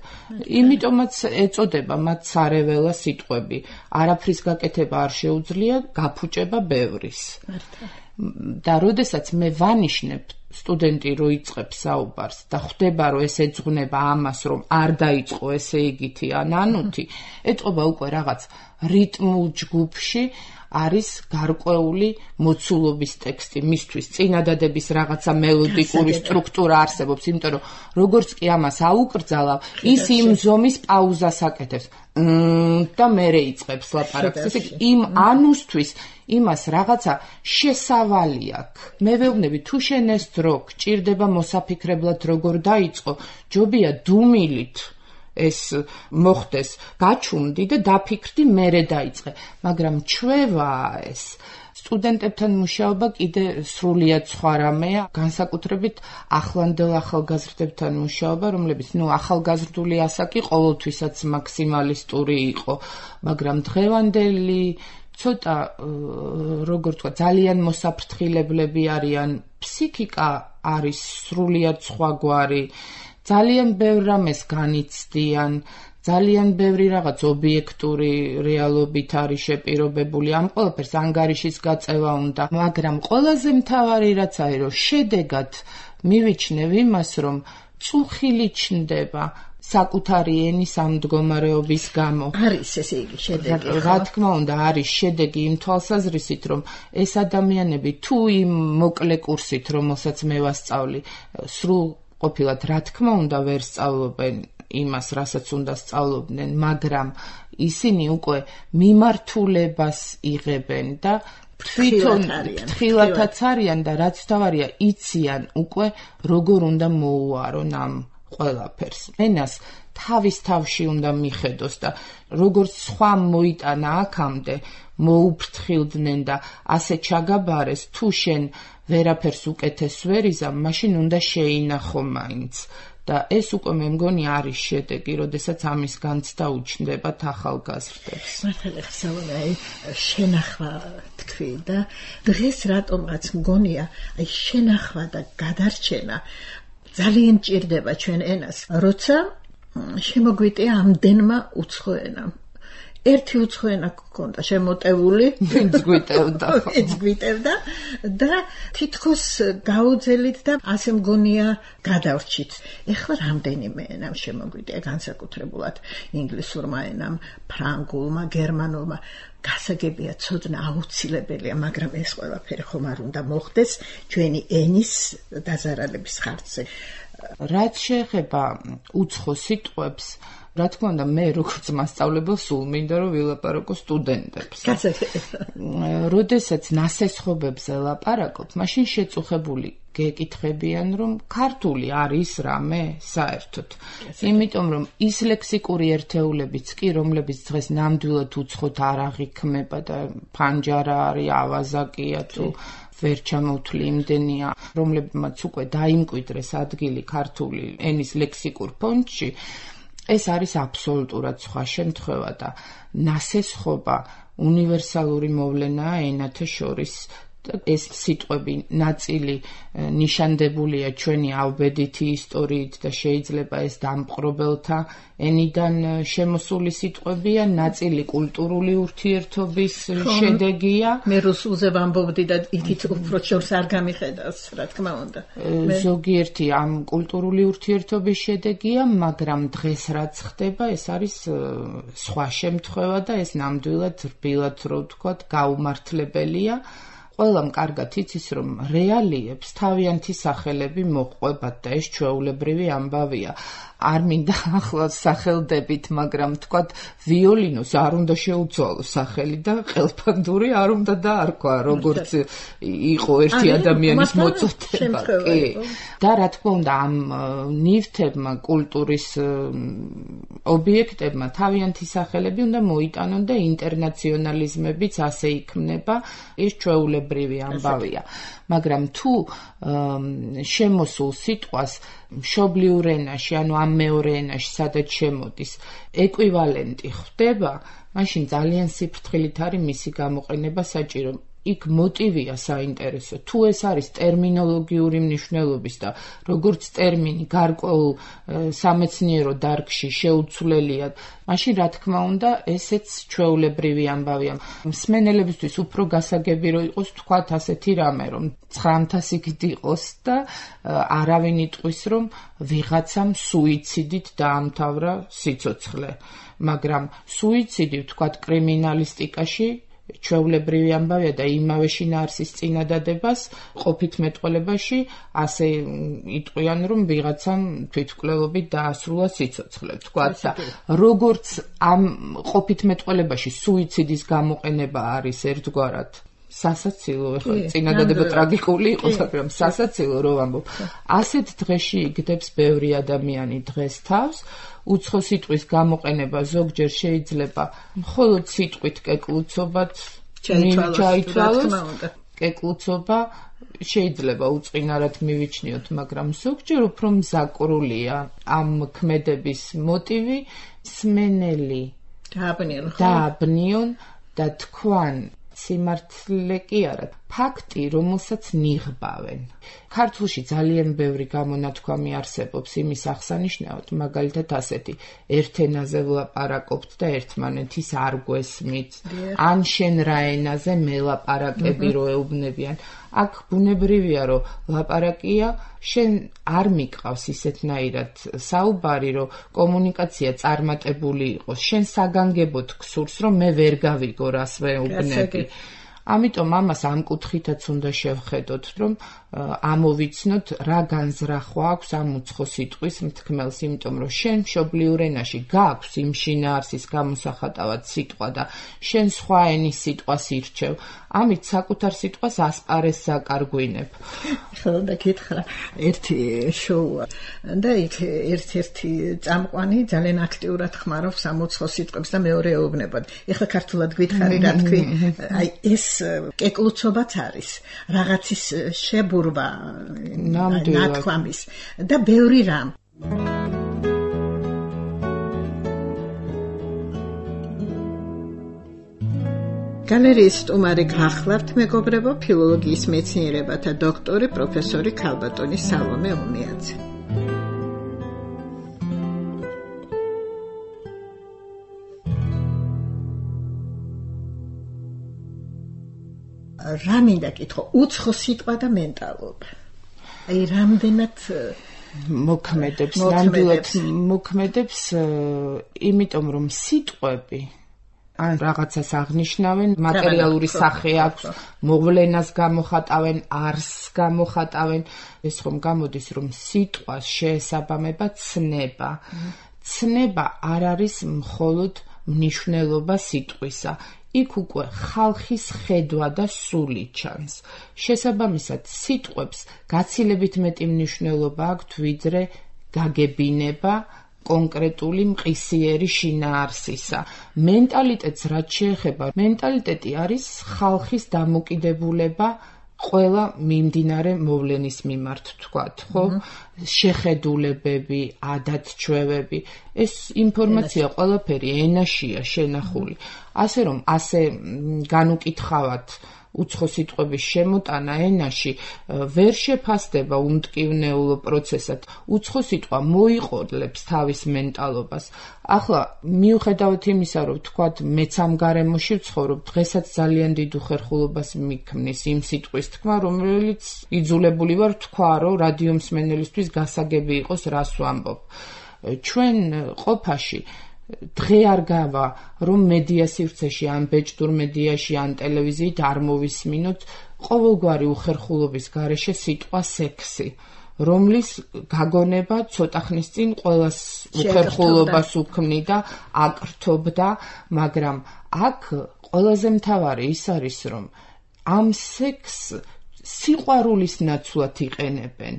იმიტომაც ეწოდება მათ სარეველა სიტყვები. არაფრის გაკეთება არ შეუძლია, გაფუჭება ბევრის. და როდესაც მე ვანიშნებ სტუდენტი რო იწყებს საუბარს და ხვდება, რომ ეს ეძღვნება ამას, რომ არ დაიწყო ესე იგითი ან ანუთი, ეტყობა უკვე რაღაც რიტმულ ჯგუფში არის გარკვეული მოცულობის ტექსტი, მისთვის წინადადების რაღაცა მელოდიკური სტრუქტურა არსებობს, იმიტომ რომ როგორც კი ამას აუკრძალავ, ის იმ ზომის პაუზას აკეთებს და მერე იწყებს ლაპარაკს. ესე იგი, იმ ანუსთვის იმას რაღაცა შესავალი აქვს. მე ვეუბნები, თუ შენ ეს დრო გჭირდება მოსაფიქრებლად როგორ დაიწყო, ჯობია დუმილით ეს მოხდეს, გაჩუმდი და დაფიქრდი, მერე დაიწყე. მაგრამ ჩვევაა ეს. სტუდენტებთან მუშაობა კიდე სრულიად სხვა რამეა, განსაკუთრებით ახლანდელ ახალგაზრდებთან მუშაობა, რომლებიც ახალგაზრდული ასაკი ყოველთვისაც მაქსიმალისტური იყო, მაგრამ დღევანდელი ცოტა როგორ თქვა, ძალიან მოსაფრთხილებლები არიან, ფსიქიკა არის სრულიად სხვაგვარი. ძალიან ბევრ რამეს განიცდიან, ძალიან ბევრი რაღაც ობიექტური რეალობით არის შეპირობებული, ამ ყველაფერს ანგარიშის გაწევა უნდა, მაგრამ ყველაზე მთავარი რაც არის, რომ შედეგად მივიჩნევ იმას, რომ წუხილი ჩნდება საკუთარი ენის ამ მდგომარეობის გამო. არის ესე იგი შედეგი. რა თქმა უნდა, არის შედეგი იმ თვალსაზრისით, რომ ეს ადამიანები თუ იმ მოკლე კურსით, რომელსაც მე ვასწავლი, სრულ ყოფილად რა თქმა უნდა ვერ სწავლობენ იმას, რასაც უნდა სწავლობდნენ, მაგრამ ისინი უკვე მიმართულებას იღებენ და თვითონ ფრთხილათაც არიან და რაც თავარია, იციან უკვე როგორ უნდა მოუარონ ამ ყველაფერს. ენას თავის თავში უნდა მიხედოს და როგორც სხვა მოიტანა აქამდე, მოუფრთხილდნენ და ასე ჩაგაბარეს, თუ შენ ვერაფერს უკეთეს ვერ იზამ, მაშინ უნდა შეინახო მაინც. და ეს უკვე მე მგონი არის შედეგი, როდესაც ამის განცდა უჩნდებათ ახალგაზრდებს. მართლა ხსოვნა, შენახვა თქვი და დღეს რატომაც მგონია, შენახვა და გადარჩენა ძალიან ჭირდება ჩვენ ენას, როცა შემოგვიტია ამდენმა უცხო ენამ. ერთი უცხო ენა გქონდა შემოტეული, გვიტევდა და თითქოს გაუძელით და ასე მგონია გადავრჩით. ეხლა რამდენიმე ენამ შემოგვიტია, განსაკუთრებულად ინგლისურმა ენამ, ფრანგულმა, გერმანულმა. გასაგებია ცოდნა აუცილებელია, მაგრამ ეს ყველაფერი ხომ არ უნდა მოხდეს ჩვენი ენის დაზარალების ხარჯზე. რაც შეეხება უცხო სიტყვებს, რა თქმა უნდა, მე როგორც მასწავლებელს სულ მინდა რომ ვილაპარაკო სტუდენტებს. როდესაც ნასესხობებზე ლაპარაკობ, მაშინ შეწუხებული გეკითხებიან, რომ ქართული არის რამე საერთოდ. იმიტომ რომ ის ლექსიკური ერთეულებიც კი, რომლებიც დღეს ნამდვილად უცხოთ არ აღიქმება და ფანჯარა არის, ავაზაკია თუ ვერ ჩამოვთვლი იმდენია, რომლებმაც უკვე დაიმკვიდრეს ადგილი ქართული ენის ლექსიკურ ფონდში, ეს არის აბსოლუტურად სხვა შემთხვევა და ნასესხობა უნივერსალური მოვლენაა ენათა შორის. ეს სიტყვები ნაწილი ნიშანდებულია ჩვენი ავბედითი ისტორიით და შეიძლება ეს დამპყრობელთა ენიდან შემოსული სიტყვებია, ნაწილი კულტურული ურთიერთობის შედეგია. მე რუსულზე ვამბობდი და იქით უფრო შორს არ გამიხედავს, რა თქმა უნდა. ზოგიერთი ამ კულტურული ურთიერთობის შედეგია, მაგრამ დღეს რაც ხდება, ეს არის სხვა შემთხვევა და ეს ნამდვილად რბილად რო ვთქვათ, გაუმართლებელია. ყველამ კარგად იცის, რომ რეალიებს თავიანთი სახელები მოჰყვებათ და ეს ჩვეულებრივი ამბავია. არ მინდა ახლა სახელდებით, მაგრამ თქვათ ვიოლინოს არ უნდა შეუცვალო სახელი და ყელფანდური არ უნდა დაარქვა, როგორც იყო ერთი ადამიანის მოწოდება. და რა თქმა უნდა, ამ ნივთებმა, კულტურის ობიექტებმა თავიანთი სახელები უნდა მოიტანონ და ინტერნაციონალიზმებიც ასე იქმნება, ეს ჩვეულებრივი ამბავია. მაგრამ თუ შემოსულ სიტყვას მშობლიურ ენაში, ანუ ამ მეორე ენაში, სადაც შემოდის, ეკვივალენტი ხდება, მაშინ ძალიან სიფრთხილით არის მისი გამოყენება საჭირო. იქ მოტივია საინტერესო. თუ ეს არის ტერმინოლოგიური მნიშვნელობის და როგორც ტერმინი გარკვეულ სამეცნიერო დარგში შეუცვლელია, მაშინ რა თქმა უნდა, ესეც ჩვეულებრივი ამბავია. მსმენელებისთვის უფრო გასაგები რო იყოს თქვათ ასეთი რამე, რომ 900 იყოს და არავინ იტყვის, რომ ვიღაცამ სუიციდით დაამთავრა სიცოცხლე. მაგრამ სუიციდი თქვათ კრიმინალისტიკაში ჩვეულებრივი ამბავია და იმავე შინაარსის წინადადებას ყოფით მეტყველებაში ასე იტყვიან, რომ ვიღაცამ თვითმკვლელობით დაასრულა სიცოცხლე, თქვათ და როგორც ამ ყოფით მეტყველებაში სუიციდის გამოყენება არის ერთგვარად სასაცილო, ეხლა წინადადება ტრაგიკული იყო, მაგრამ სასაცილო რო ვამბობ. ასეთ დღეში იგდებს ბევრი ადამიანი დღეს თავს. უცხო სიტყვის გამოყენება ზოგჯერ შეიძლება მხოლოდ სიტყვით კეკლუცობად ჩაითვალოს. კეკლუცობა შეიძლება უწყინარად მივიჩნიოთ, მაგრამ ზოგჯერ უფრო მზაკრულია ამ ქმედების მოტივი, მსმენელი დააბნიონ და თქვან სიმართლე კი არა, ფაქტი, რომელსაც ნიღბავენ. ქართულში ძალიან ბევრი გამონათქვამი არსებობს იმის აღსანიშნავად, მაგალითად ასეთი, ერთ ენაზე ვლაპარაკობთ და ერთმანეთის არ გვესმით, ან შენ რა ენაზე მე ლაპარაკები რო ეუბნებიან. აქ ბუნებრივია, რომ ლაპარაკია, შენ არ მიყავს ისეთნაირად საუბარი, რომ კომუნიკაცია წარმატებული იყოს, შენ საგანგებოდ გსურს, რომ მე ვერ გავიგო რას ვეუბნები. ამიტომ ამას ამ კუთხითაც უნდა შევხედოთ, რომ ამოვიცნოთ რა განზრახვა აქვს ამ უცხო სიტყვის მთქმელს, იმიტომ რომ შენ მშობლიურ ენაში გაქვს იმ შინაარსის გამოსახატავად სიტყვა და შენ სხვა ენის სიტყვას ირჩევ, ამით საკუთარ სიტყვას ასპარეზს აკარგვინებ. ხო, და გითხრა ერთი შოუა და იქ ერთ-ერთი წამყვანი ძალიან აქტიურად ხმარობს ამ უცხო სიტყვებს და მეორე ეუბნებოდ. ეხლა ქართულად გითხარი რა თქვი, აი ეს კეკლუცობაც არის, რაღაცის შებურვა ნათქვამის და ბევრი რამ. გალერეის სტუმარი გახლავთ, მეგობრებო, ფილოლოგიის მეცნიერებათა დოქტორი, პროფესორი ქალბატონი სალომე ომიაძე. რა მინდა კითხო, უცხო სიტყვა და მენტალობა. აი რამდენად მოქმედებს, ნამდვილად მოქმედებს, იმიტომ რომ სიტყვები ან რაღაცას აღნიშნავენ, მატერიალური სახე აქვს, მოვლენას გამოხატავენ, არსს გამოხატავენ. ეს ხომ გამოდის, რომ სიტყვას შეესაბამება ცნება. ცნება არ არის მხოლოდ მნიშვნელობა სიტყვისა. იქ უკვე ხალხის ხედვა და სული ჩანს. შესაბამისად, სიტყვებს გაცილებით მეტი მნიშვნელობა აქვთ, ვიდრე გაგებინება კონკრეტული მყისიერი შინაარსისა. მენტალიტეტს რაც შეეხება, მენტალიტეტი არის ხალხის დამოკიდებულება ყველა მიმდინარე მოვლენის მიმართ, თქვათ, ხო? შეხედულებები, ადათ-ჩვევები, ეს ინფორმაცია ყველაფერი ენაშია შენახული. ასე რომ, ასე განუკითხავად უცხო სიტყვების შემოტანა ენაში ვერ შეფასდება უმტკივნეულო პროცესად. უცხო სიტყვა მოიყოლებს თავის მენტალობას. ახლა მიუხედავად იმისა, რომ თქვათ მეც ამ გარემოში ვცხოვრობ, დღესაც ძალიან დიდ უხერხულობას მიქმნის იმ სიტყვის თქმა, რომელიც იძულებული ვარ თქვა, რომ რადიო მსმენელისთვის გასაგები იყოს, რას ვამბობ. ჩვენ ყოფაში დღე არ გავა, რომ მედია სივრცეში, ან ბეჭდურ მედიაში, ან ტელევიზიით არ მოვისმინოთ ყოველგვარი უხერხულობის გარეშე სიტყვა სექსი, რომლის გაგონება ცოტა ხნის წინ ყველას უხერხულობას უქმნიდა, აკრთობდა, მაგრამ აქ ყველაზე მთავარი ის არის, რომ ამ სექსს სიყვარულის ნაცვლად იყენებენ.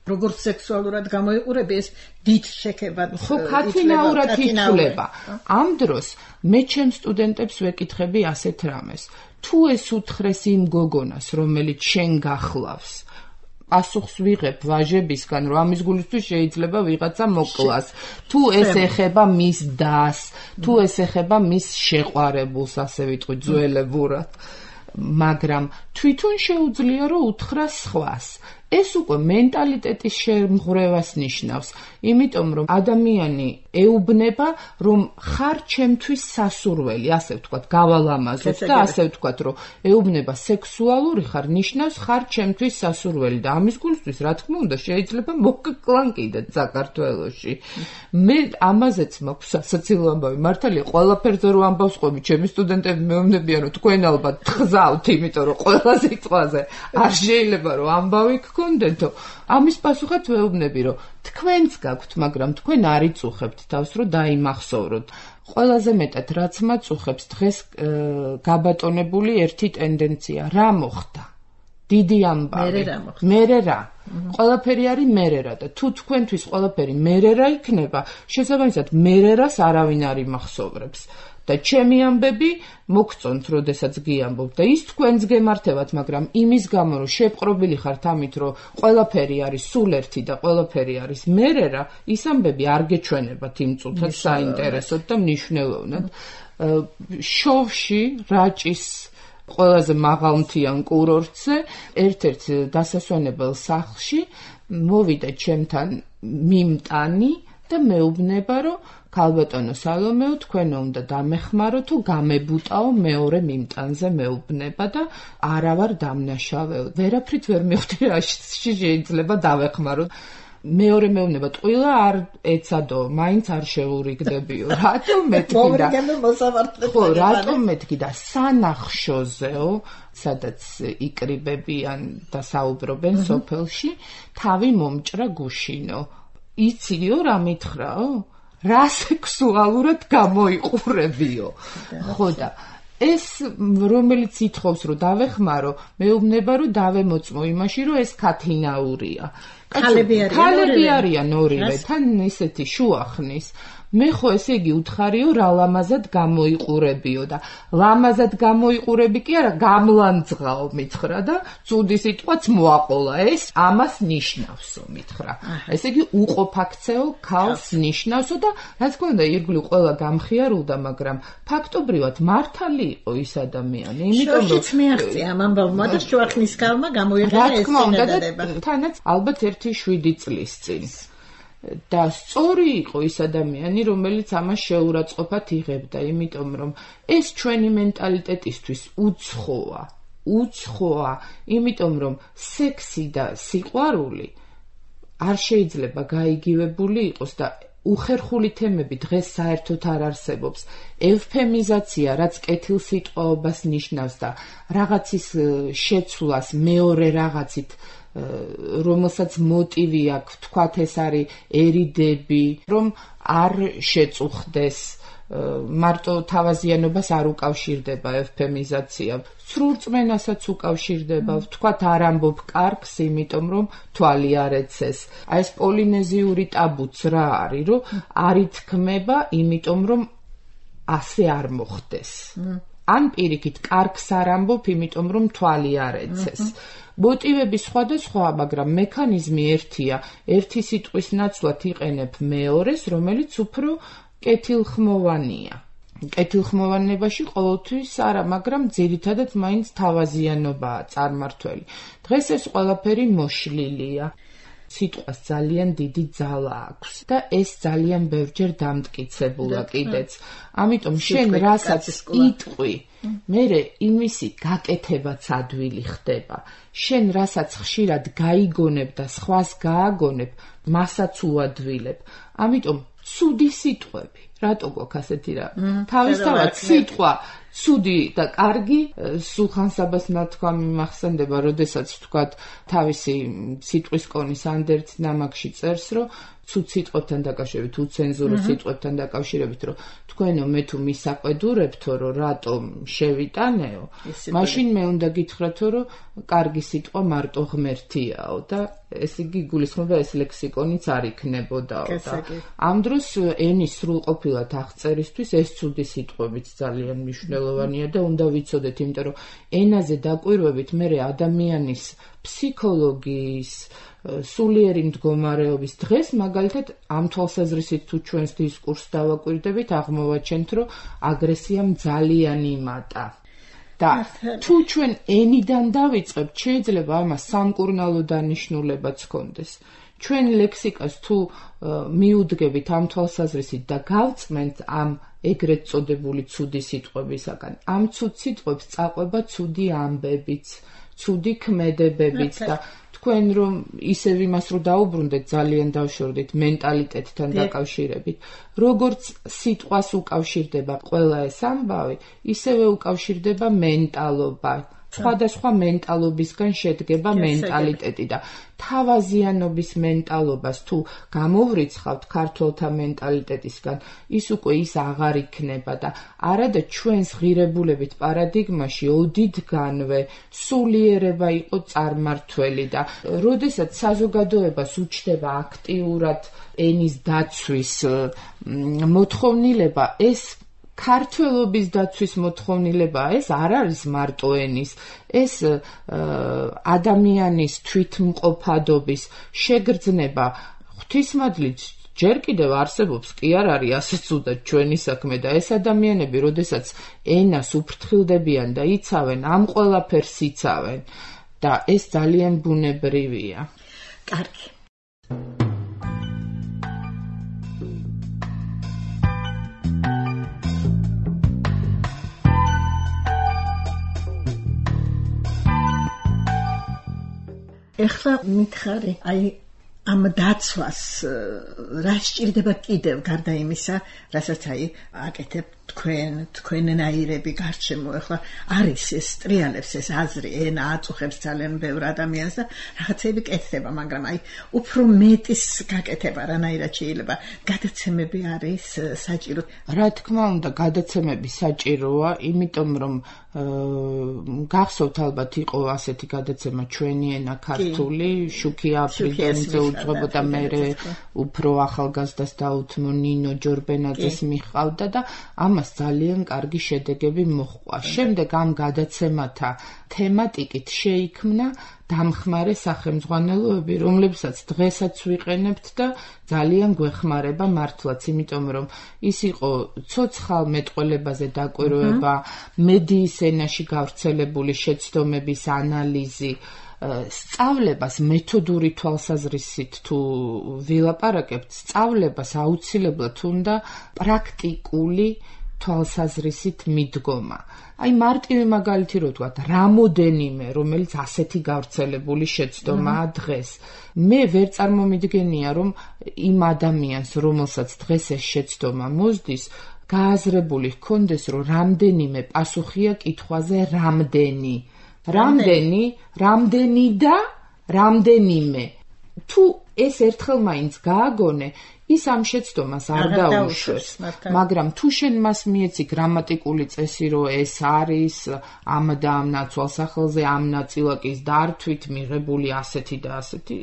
როგორც სექსუალურად გამოიყურები, ეს დიდ შექებად ხო, ქათინაურად ითვლება. ამ დროს მე ჩემ სტუდენტებს ვეკითხები ასეთ რამეს. თუ ეს უთხრეს იმ გოგონას, რომელიც შენ გახლავს, პასუხს ვიღებ ვაჟებისგან, რომ ამის გულისთვის შეიძლება ვიღაცა მოკლას. თუ ეს ეხება მის დას, თუ ეს ეხება მის შეყვარებულს, ასე ვიტყვი ძველებურად. მაგრამ თვითონ შეუძლია, რომ უთხრა სხვას. ეს უკვე მენტალიტეტის შემღვრევას ნიშნავს, იმიტომ რომ ადამიანი ეუბნება, რომ ხარ ჩემთვის სასურველი, ასე ვთქვათ, გავალამაზოთ და ასე ვთქვათ, რომ ეუბნება სექსუალური ხარ, ნიშნავს ხარ ჩემთვის სასურველი და ამის გულისთვის, რა თქმა უნდა, შეიძლება მოგკლან კიდეც საქართველოში. მე ამაზეც მაქვს სასაცილო ამბავი, მართალია, ყველაფერზე რო ამბავს ყვები, ჩემი სტუდენტები მეუბნებიან, რომ თქვენ ალბათ გზავთ, იმიტომ რომ ყველა სიტყვაზე არ შეიძლება რომ ამბავი გქონდეთო. ამის პასუხად ვეუბნები, რომ თქვენც გაქვთ, მაგრამ თქვენ არ იწუხებთ თავს, რომ დაიმახსოვროთ. ყველაზე მეტად რაც მაწუხებს დღეს გაბატონებული ერთი ტენდენცია, რა მოხდა? დიდი ამბავი. მერე რა? ყველაფერი არის მერე რა და თუ თქვენთვის ყველაფერი მერე რა იქნება, შესაბამისად მერე რას არავინ არ იმახსოვრებს. და ჩემი ამბები მოგწონთ, როდესაც გიამბობთ და ის თქვენს გემართებათ, მაგრამ იმის გამო, რომ შეპყრობილი ხართ ამით, რომ ყველაფერი არის სულ ერთი და ყველაფერი არის მერე რა, ის ამბები არ გეჩვენებათ იმ წუთად საინტერესოდ და მნიშვნელოვნად. შოვში, რაჭის ყველაზე მაღალმთიან კურორტზე, ერთ-ერთ დასასვენებელ სახლში მოვიდა ჩემთან მიმტანი და მეუბნება, რომ ქალბატონო სალომეო, თქვენო უნდა დამეხმარო თუ გამებუტაო მეორე მიმტანზე მეუბნება და არა ვარ დამნაშავეო. ვერაფრით ვერ მივხვდი რა შეიძლება დავეხმარო. მეორე მეუბნება, ტყუილა არ ეცადო, მაინც არ შეურიგდებიო. რატომ მეთქიდა? ხო, რატომ მეთქიდა სანახშოზეო, სადაც იკრიბებიან და საუბრობენ სოფელში, თავი მომჭრა გუშინო. იციო რა მითხრაო? რა სექსუალურად გამოიყურებიო. ხო და ეს რომელიც ითხოვს რომ დავეხმარო, მეუბნება რომ დავემოწმო იმაში, რომ ეს ქათინაურია. ქალები არიან ორივე, თან ისეთი შუახნის. მე ხო ესე იგი უთხარიო რა ლამაზად გამოიყურებიო და ლამაზად გამოიყურები კი არა, გამლანძღაო მითხრა და ცუდი სიტყვაც მოაყოლა. ეს ამას ნიშნავსო მითხრა. ესე იგი უყოფაქცეო ქალს ნიშნავსო და რა თქმა უნდა ირგვლივ ყველა გამხიარულდა, მაგრამ ფაქტობრივად მართალი იყო ის ადამიანი, იმიტომ რომ მიაღწია ამ ამბავმა და შუახნის ქალმა გამოიყენა ეს წინადადება. თანაც ალბათ 1-7 წლის წინ. და სწორი იყო ის ადამიანი, რომელიც ამას შეურაცხყოფად იღებდა, იმიტომ რომ ეს ჩვენი მენტალიტეტისთვის უცხოა, იმიტომ რომ სექსი და სიყვარული არ შეიძლება გაიგივებული იყოს და უხერხული თემები დღეს საერთოდ არ არსებობს. ევფემიზაცია, რაც კეთილსიტყვაობას ნიშნავს და რაღაცის შეცვლას მეორე რაღაცით, რომელსაც მოტივი აქვს, თქვათ ეს არის ერიდები, რომ არ შეწუხდეს, მარტო თავაზიანობას არ უკავშირდება ევფემიზაცია. სრულ რწმენასაც უკავშირდება, თქვათ არ ამბობ კარგს, იმიტომ რომ თვალი არ ეცეს. აი ეს პოლინეზიური ტაბუც რა არის, რომ არ ითქმება, იმიტომ რომ ასე არ მოხდეს. ან პირიქით კარგს არ ამბობ, იმიტომ რომ თვალი არ ეცეს. მოტივები სხვადასხვა, მაგრამ მექანიზმი ერთია. ერთი სიტყვის ნაცვლად იყენებ მეორეს, რომელიც უფრო კეთილხმოვანია. კეთილხმოვანებაში ყოველთვის არა, მაგრამ ძირითადად მაინც თავაზიანობაა წარმართველი. დღეს ეს ყველაფერი მოშლილია. სიტყვას ძალიან დიდი ძალა აქვს და ეს ძალიან ბევრჯერ დამტკიცებულა კიდეც. ამიტომ შენ რასაც იტყვი, მერე იმისი გაკეთებაც ადვილი ხდება. შენ რასაც ხშირად გაიგონებ და სხვას გააგონებ, მასაც უადვილებ. ამიტომ ცუდი სიტყვები, რატო გვაქვს ასეთი რა? თავისთავად სიტყვა ცუდი და კარგი სულხან-საბას ნათქვამი მახსენდება, როდესაც თქვათ თავისი სიტყვის კონის ანდერც ნამაკში წერს, რომ ცუდ სიტყვებთან დაკავშირებით, უცენზურო სიტყვებთან დაკავშირებით, რომ თქვენო მე თუ მისაყვედურებთო, რომ რატომ შევიტანეო, მაშინ მე უნდა გითხრათო, რომ კარგი სიტყვა მარტო ღმერთიაო და ეს იგი გულისხმობა ეს ლექსიკონიც არ იქნებოდაო და ამ დროს ენის სრულყოფილად აღწერისთვის ეს ცუდი სიტყვებიც ძალიან მნიშვნელოვანია და უნდა ვიცოდეთ, იმიტომ რომ ენაზე დაკვირვებით მე ადამიანის ფსიქოლოგიის სულიერი მდგომარეობის დღეს მაგალითად ამ თვალსაზრისით თუ ჩვენს დისკურსს დავაკვირდებით, აღმოვაჩენთ, რომ აგრესიამ ძალიან იმატა. და თუ ჩვენ ენიდან დავიწყებთ, შეიძლება ამას სამკურნალო დანიშნულებაც ჰქონდეს. ჩვენ ლექსიკას თუ მიუდგებით ამ თვალსაზრისით და გავწმენთ ამ ეგრეთ წოდებული ცუდი სიტყვებისაგან, ამ ცუდ სიტყვებს წაყვება ცუდი ამბებიც, ცუდი ქმედებებიც და თქვენ რომ ისევ იმას რო დაუბრუნდეთ, ძალიან დავშორდით მენტალიტეტთან დაკავშირებით. როგორც სიტყვას უკავშირდება ყველა ეს ამბავი, ისევე უკავშირდება მენტალობა. სხვადასხვა მენტალობისგან შედგება მენტალიტეტი და თავაზიანობის მენტალობას თუ გამოვრიცხავთ ქართველთა მენტალიტეტისგან, ის უკვე ის აღარ იქნება და არადა ჩვენს ღირებულებით პარადიგმაში ოდითგანვე სულიერება იყო წარმართველი და როდესაც საზოგადოებას უჩნდება აქტიურად ენის დაცვის მოთხოვნილება, ეს ქართველობის დაცვის მოთხოვნილება, ეს არ არის მარტო ენის, ეს ადამიანის თვითმყოფადობის შეგრძნება ღვთისმადლით ჯერ კიდევ არსებობს, კი არ არის ასე ცუდად ჩვენი საქმე და ეს ადამიანები, როდესაც ენას უფრთხილდებიან და იცავენ, ამ ყველაფერს იცავენ და ეს ძალიან ბუნებრივია. კარგი. ეხლა მითხარი, აი ამ დაცვას რა სჭირდება კიდევ გარდა იმისა, რასაც აი აკეთებ თქვენნაირები გარშემო. ეხლა არის ეს ტრიალებს ეს აზრი, ენა აწუხებს ძალიან ბევრ ადამიანს და რაღაცები კეთდება, მაგრამ აი უფრო მეტის გაკეთება რანაირად შეიძლება. გადაცემები არის საჭირო. რა თქმა უნდა, გადაცემები საჭიროა, იმიტომ რომ გახსოვთ ალბათ იყო ასეთი გადაცემა ჩვენი ენა ქართული, შუქია აფრიგენზე უძღვებოდა, მერე უფრო ახალგაზრდას დაუთმო ნინო ჯორბენაძეს მიჰყავდა და ამას ძალიან კარგი შედეგები მოჰყვა. შემდეგ ამ გადაცემათა თემატიკით შეიქმნა დამხმარე სახელმძღვანელოები, რომლებსაც დღესაც ვიყენებთ და ძალიან გვეხმარება მართლაც, იმიტომ რომ ის იყო ცოცხალ მეტყველებაზე დაკვირვება, მედიის ენაში გავრცელებული შეცდომების ანალიზი, სწავლებას მეთოდური თვალსაზრისით თუ ვილაპარაკებთ, სწავლებას აუცილებლად უნდა პრაქტიკული თვალსაზრისით მიდგომა. აი მარტივი მაგალითი რო ვთქვათ, რამოდენიმე, რომელიც ასეთი გავრცელებული შეცდომაა დღეს. მე ვერ წარმომიდგენია, რომ იმ ადამიანს, რომელსაც დღეს ეს შეცდომა მოსდის, გააზრებული ჰქონდეს, რომ რამდენიმე პასუხია კითხვაზე რამდენი. რამდენი და რამდენიმე. თუ ეს ერთხელ მაინც გააგონე, ის ამ შეცდომას არ დაუშვებს, მაგრამ თუ შენ მას მიეცი გრამატიკული წესი, რომ ეს არის ამ და ამ ნაცვალსახელზე ამ ნაწილაკის დართვით მიღებული ასეთი და ასეთი,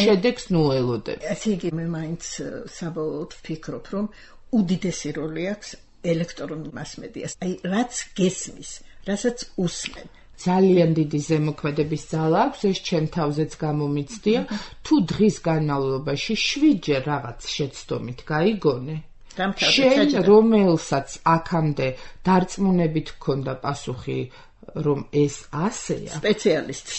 შედეგს ნუ ელოდებ. ესე იგი მე მაინც საბოლოოდ ვფიქრობ, რომ უდიდესი როლი აქვს ელექტრონულ მასმედიას. აი რაც გესმის, რასაც უსმენ. ძალიან დიდი ზემოქმედების ძალა აქვს, ეს ჩემ თავზეც გამომიცდია, თუ დღის განმავლობაში 7-ჯერ რაღაც შეცდომით გაიგონე, შენ რომელსაც აქამდე დარწმუნებით ჰქონდა პასუხი, რომ ეს ასეა,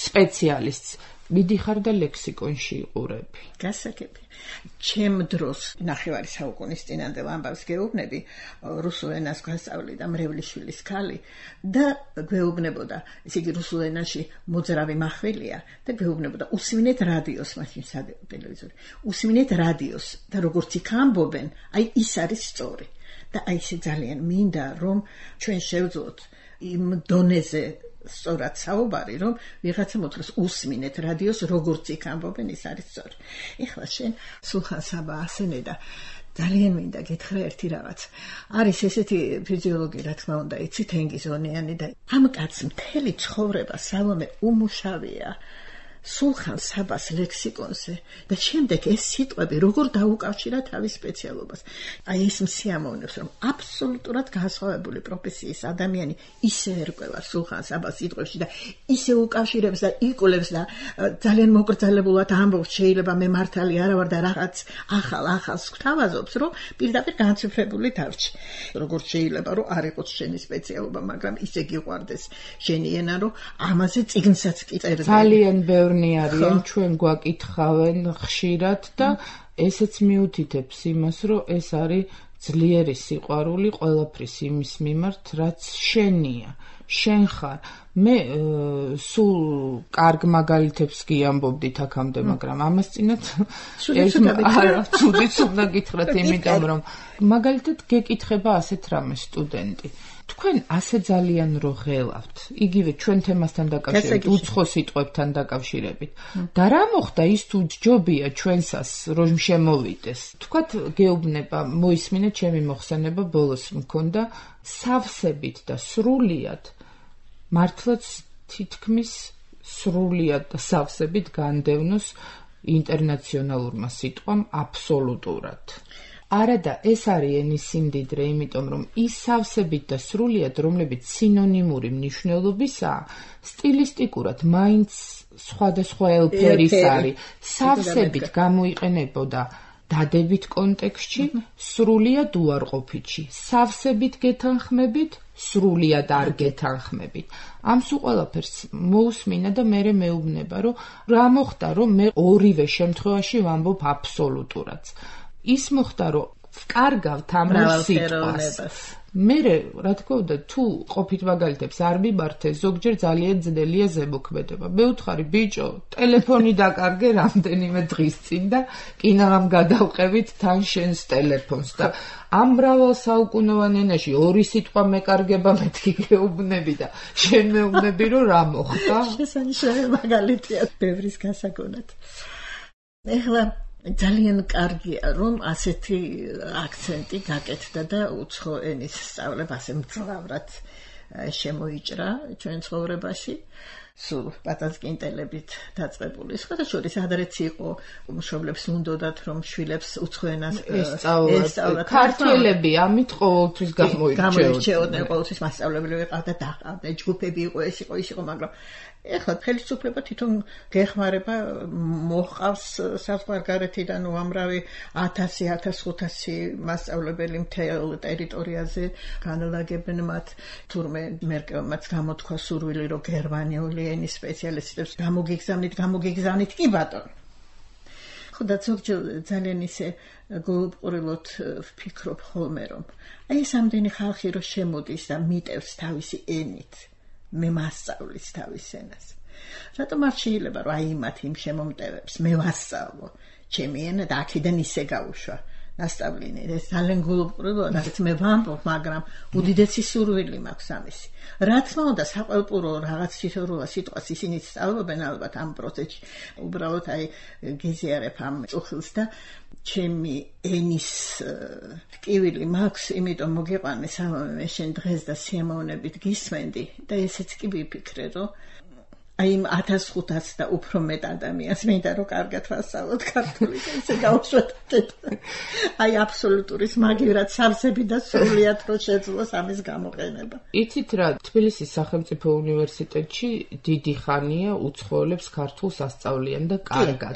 სპეციალისტს მიდიხარ და ლექსიკონში იყურები. გასაგები. ჩემ დროს ნახევარი საუკუნის წინანდელ ამბავს გეუბნები, რუსულ ენას გვასწავლიდა მრევლიშვილის ქალი და გვეუბნებოდა, ესე იგი რუსულ ენაში მოძრავი מחველია და გვეუბნებოდა უსმინეთ რადიოს, მაშინ ტელევიზორი. უსმინეთ რადიოს და როგორც იქ ამბობენ, აი ის არის სწორი. და აი ეს ძალიან მინდა, რომ ჩვენ შევძლოთ იმ დონეზე სწორად საუბარი, რომ ვიღაცა მოთხრას უსმინეთ რადიოს, როგორც იქ ამბობენ, ის არის სწორი. ეხლა შენ სულხან საბა ასენე და ძალიან მინდა გითხრა ერთი რაღაც. არის ესეთი ფიზიოლოგი, რა თქმა უნდა, იცი თენგიზონიანი და ამ კაცს მთელი ცხოვრება სალომე უმუშავია სულხან საბას ლექსიკონზე და შემდეგ ეს სიტყვები როგორ დაუკავშირა თავის სპეციალობას. აი ეს მსიამოვნებს, რომ აბსოლუტურად განსხვავებული პროფესიის ადამიანი ისე ერკვევა სულხან საბას სიტყვებში და ისე უკავშირებს და იკვლევს და ძალიან მოკრძალებულად ამბობს, შეიძლება მე მართალი არა ვარ და რაღაც ახალს გვთავაზობს, რომ პირდაპირ განციფრებული დარჩი. როგორც შეიძლება რომ არ იყოს შენი სპეციალობა, მაგრამ ისე გიყვარდეს შენი ენა, რომ ამაზე წიგნსაც კი წერდა. ძალიან ბევრი არიან ჩვენ გვაკითხავენ ხშირად და ესეც მიუთითებს იმას, რომ ეს არის ძლიერი სიყვარული ყველაფრის იმის მიმართ, რაც შენია, შენ ხარ. მე სულ კარგ მაგალითებს გიამბობდით აქამდე, მაგრამ ამას წინათ ცუდიც უნდა გითხრათ, იმიტომ რომ მაგალითად გეკითხება ასეთ რამეს სტუდენტი. თქვენ ასე ძალიან რო ღელავთ, იგივე ჩვენ თემასთან დაკავშირებით, უცხო სიტყვებთან დაკავშირებით. და რა მოხდა ის თუ ჯობია ჩვენსას რომ შემოვიდეს. თქვათ გეუბნება, მოისმინე ჩემი მოხსენება ბოლოს მქონდა სავსებით და სრულიად მართლაც თითქმის სრულიად და სავსებით განდევნოს ინტერნაციონალურმა სიტყვამ აბსოლუტურად. არა და ეს არის ენის სიმდიდრე, იმიტომ რომ ის სავსებით და სრულიად, რომლებიც სინონიმური მნიშვნელობისაა, სტილისტიკურად მაინც სხვადასხვა ელფერის არის. სავსებით გამოიყენებოდა დადებით კონტექსტში, სრულიად უარყოფითში. სავსებით გეთანხმებით, სრულიად არ გეთანხმებით. ამ სულ ყველაფერს მოусმინა და მე მეუბნება, რომ რა მოხდა, რომ მე ორივე შემთხვევაში ვამბობ აბსოლუტურად. ის მოხდა, რომ ვკარგავთ ამ სიტყვას. მე რა თქმა უნდა, თუ ყოფით მაგალითებს არ მიმართე, ზოგჯერ ძალიან ძნელია ზემოქმედება. მე ვთხარი, ბიჭო, ტელეფონი დაკარგე რამდენიმე დღის წინ და კინაღამ გადავყევით თან შენს ტელეფონს და ამ მრავალსაუკუნოვან ენაში ორი სიტყვა მეკარგება მეთქი გეუბნები და შენ მეუბნები, რომ რა მოხდა? შესანიშნავი მაგალითია ბევრის გასაგონად. ეხლა ძალიან კარგია, რომ ასეთი აქცენტი გაკეთდა და უცხო ენის სწავლება ასე მძლავრად შემოიჭრა ჩვენ ცხოვრებაში. სულ პატაცკინტელებით დაწყებული. სხვადასხვა ადრეც იყო მშობლებს უნდათ, რომ შვილებს უცხო ენას ესწავლათ. ქართველები ამით ყოველთვის გამოირჩეოდნენ, ყოველთვის მასწავლებელი ვიყავდა და დაყავდა, ჯგუფები იყო, ეს იყო, ის იყო, მაგრამ ეხლა ხელისუფლება თვითონ გეხმარება, მოჰყავს საზღვარგარეთიდან უამრავი 1000-1500 მასწავლებელი მთელ ტერიტორიაზე განლაგებენ მათ. თურმე მერკელმაც გამოთქვა სურვილი, რომ გერმანიული ენის სპეციალისტებს გამოგიგზავნით, კი ბატონო. ხო და ზოგჯერ ძალიან ისე გულუბრყურილოდ ვფიქრობ ხოლმე რომ აი ეს ამდენი ხალხი რო შემოდის და მიტევს თავისი ენით მე მასწავლის თავის ენას რატომ არ შეიძლება რომ აი მათ იმ შემომტევებს მე ვასწავლო ჩემი ენა და აქედან ისე გავუშვა ნასწავლინე ეს ძალიან გულუბრყურელოა რაც მე ვამბობ მაგრამ უდიდესი სურვილი მაქვს ამისი რა თქმა უნდა საყელპურო რაღაც თითოეულ სიტყვას ისინი სწავლობენ ალბათ ამ პროცესში უბრალოდ აი გიზიარებ ამ წუხილს და ჩემი ენის ტკივილი მაქვს იმიტომ მოგიყვანე სალომე მე შენ დღეს და სიამოვნებით გისმენდი და ესეც კი ვიფიქრე რომ აი 1500 და უფრო მეტ ადამიანს მინდა რომ კარგად ვასწავლოთ ქართული და ესე გავუშვათ აი აბსოლუტურის მაგივრად სავსები და სრულიად რო შეძლოს ამის გამოყენება. იცით რა თბილისის სახელმწიფო უნივერსიტეტში დიდი ხანია უცხოელებს ქართულს ასწავლიან და კარგად.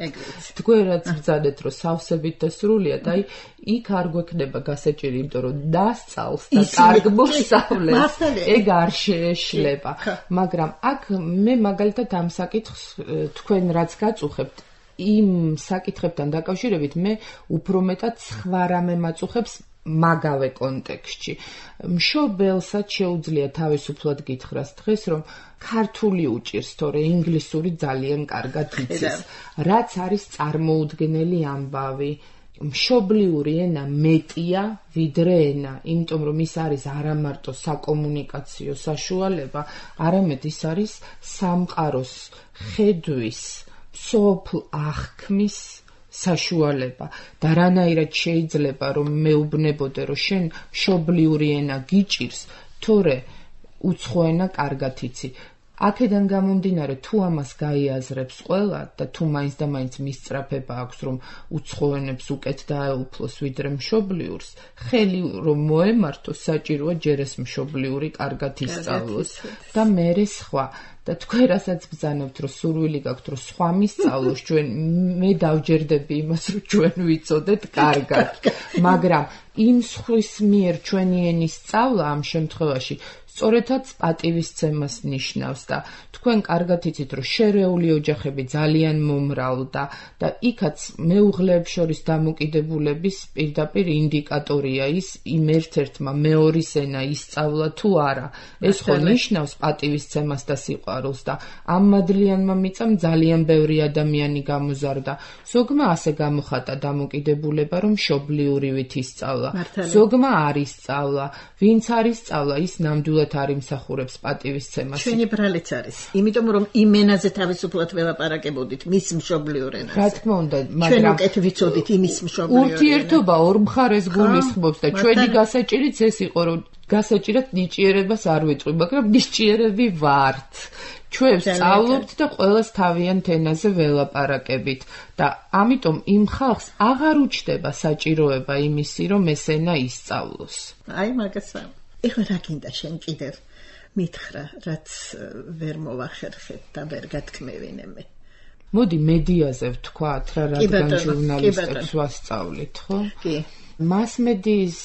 თქვენ რაც ბრძანეთ რომ სავსებით და სრულიად აი იქ არ გვექნება გასაჭირი იმიტომ რომ დასწავს და კარგ მოსწავლეს ეგ არ შეეშლება მაგრამ აქ მე მაგალითად ამ საკითხს თქვენ რაც გაწუხებთ იმ საკითხებთან დაკავშირებით მე უფრო მეტად სხვა რამე მაწუხებს მაგავე კონტექსტში მშობელსაც შეუძლია თავისუფლად გითხრას დღეს რომ ქართული უჭირს თორე ინგლისური ძალიან კარგად იცის რაც არის წარმოუდგენელი ამბავი მშობლიური ენა მეტია ვიდრე ენა, იმიტომ რომ ის არის არა მარტო საკომუნიკაციო საშუალება, არამედ ის არის სამყაროს ხედვის, სოფლ აღქმის საშუალება და რანაირად შეიძლება რომ მეუბნებოდე რომ შენ მშობლიური ენა გიჭირს, თორე უცხო ენა კარგად იცი. აქედან გამომდინარე თუ ამას გაიაზრებს ყველა და თუ მაინც და მაინც მისწრაფება აქვს რომ უცხო ენებს უკეთ დაეუფლოს ვიდრე მშობლიურს ხელი რომ მოემართოს საჭიროა ჯერ ეს მშობლიური კარგად ისწავლოს და მერე სხვა და თქვენ რასაც ბრძანებთ რომ სურვილი გაქვთ რომ სხვა მისწავლოს ჩვენ მე დავჯერდები იმას რომ ჩვენ ვიცოდეთ კარგად მაგრამ იმ სხვის მიერ ჩვენი ენის სწავლა ამ შემთხვევაში სწორედაც პატივისცემას ნიშნავს და თქვენ კარგად იცით რომ შერეული ოჯახები ძალიან მომრავლდა და იქაც მეუღლეებს შორის დამოკიდებულების პირდაპირ ინდიკატორია ის იმ ერთ-ერთმა მეორის ენა ისწავლა თუ არა ეს ხო ნიშნავს პატივისცემას და სიყვარულს და ამ მადლიანმა მიწამ ძალიან ბევრი ადამიანი გამოზარდა ზოგმა ასე გამოხატა დამოკიდებულება რომ მშობლიურივით ისწავლა ზოგმა არ ისწავლა ვინც არ ისწავლა ის ნამდვილად არ იმსახურებს პატივისცემას. ჩვენი ბრალიც არის. იმიტომ რომ იმ ენაზე თავისუფლად ველაპარაკებოდით მის მშობლიურ ენაზე. რა თქმა უნდა, მაგრამ ჩვენ უკეთ ვიცოდით იმის მშობლიურ ენაზე. ურთიერთობა ორ მხარეს გულისხმობს და ჩვენი გასაჭირიც ეს იყო რომ გასაჭირად ნიჭიერებას არ ვიტყვი, მაგრამ ნიჭიერები ვართ. ჩვენ სწავლობთ და ყველას თავიანთ ენაზე ველაპარაკებით და ამიტომ იმ ხალხს აღარ უჩნდება საჭიროება იმისი რომ ეს ენა ისწავლოს. აი მაგაცა ეხლა რა გინდა შენ კიდევ მითხრა რაც ვერ მოვახერხეთ და ვერ გათქმევინე მე მოდი მედიაზე ვთქვათ რა რადგან ჟურნალისტებს ვასწავლით ხო კი მასმედიის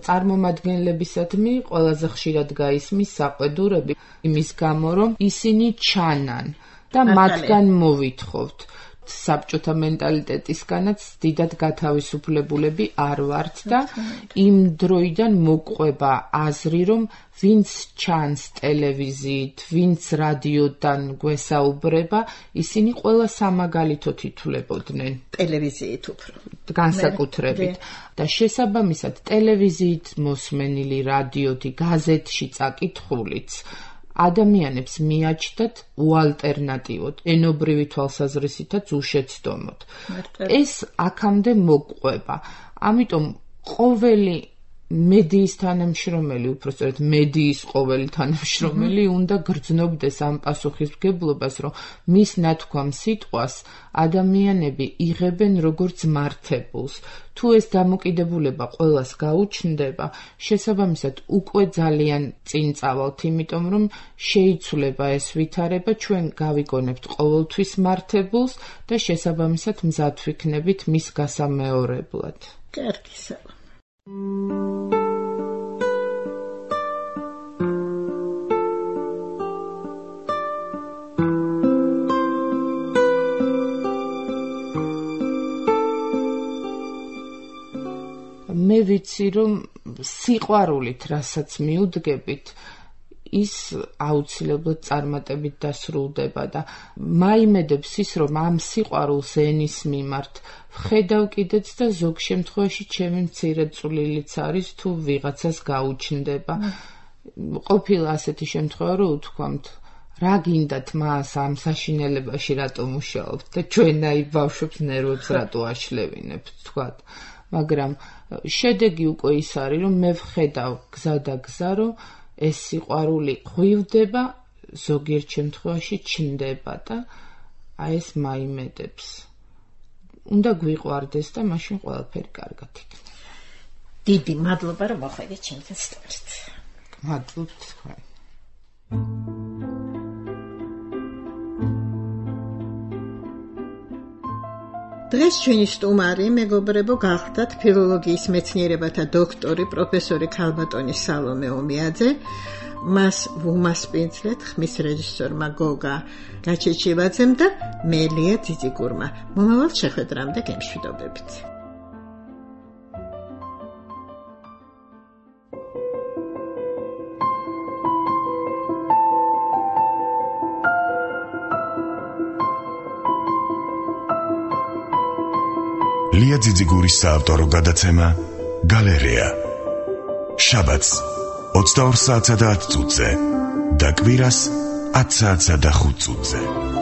წარმომადგენლებისადმი ყველაზე ხშირად გაისმის საყვედურები იმის გამო რომ ისინი ჩანან და მათგან მოვითხოვთ საბჭოთა მენტალიტეტისგანაც დიდად გათავისუფლებულები არ ვართ და იმ დროიდან მოყვება აზრი რომ ვინც ჩანს ტელევიზიით, ვინც რადიოდან გვესაუბრება, ისინი ყველა სამაგალითოდ ითვლებოდნენ. ტელევიზიით უფრო. განსაკუთრებით. და შესაბამისად ტელევიზიით მოსმენილი რადიოთი, გაზეთში წაკითხულიც ადამიანებს მიაჩნდათ უალტერნატივოდ, ენობრივი თვალსაზრისითაც უშეცდომოდ. ეს აქამდე მოყვება. ამიტომ ყოველი მედიის თანამშრომელი, უпростоრად მედიის ყოველი თანამშრომელი უნდა გრძნობდეს ამ პასუხისმგებლობას, რომ მის ნათქვამ სიტყვას ადამიანები იღებენ როგორც მართებულს. თუ ეს დამოკიდებულება ყველას გაუჩნდება, შესაბამისად უკვე ძალიან წინ წავალთ, იმიტომ რომ შეიცვლება ეს ვითარება, ჩვენ გავიგონებთ ყოველთვის მართებულს და შესაბამისად მზად ვიქნებით მის გასამეორებლად. კარგი სალა. ვიცი, რომ სიყვარულით, რასაც მიუდგებით, ის აუცილებლად წარმატებით დასრულდება და მაიმედებს ის, რომ ამ სიყვარულს ენის მიმართ ვხედავ კიდეც და ზოგ შემთხვევაში ჩემი მცირე წვლილიც არის, თუ ვიღაცას გაუჩნდება. ყოფილა ასეთი შემთხვევა, რომ უთქვამთ, რა გინდათ მას ამ საშინელებაში რატომ მუშაობთ და ჩვენაი ბავშვებს ნერვებს რატო აშლევინებთ, თქვათ. მაგრამ შედეგი უკვე ის არის, რომ მე ვხედავ გზა და გზა, რომ ეს სიყვარული ღვივდება, ზოგიერთ შემთხვევაში ჩნდება და ეს მაიმედებს. უნდა გვიყვარდეს და მაშინ ყველაფერი კარგად იქნება. დიდი მადლობა, რომ მოხვედით ჩემთან სტუდიით. მადლობთ თქვენ. დღეს ჩვენი სტუმარი მეგობრებო გახდათ ფილოლოგიის მეცნიერებათა დოქტორი პროფესორი ქალბატონი სალომე ომიაძე. მას ვუმასპინძლეთ ხმის რეჟისორმა გოგა გაჩეჩევაძემ და მე ლია ძიძიგურმა. მომავალ შეხვედრამდე გემშვიდობებით. ლია ძიძიგურის საავტორო გადაცემა გალერეა. შაბათს 22 საათსა და 10 წუთზე და კვირას 10 საათსა და 5 წუთზე.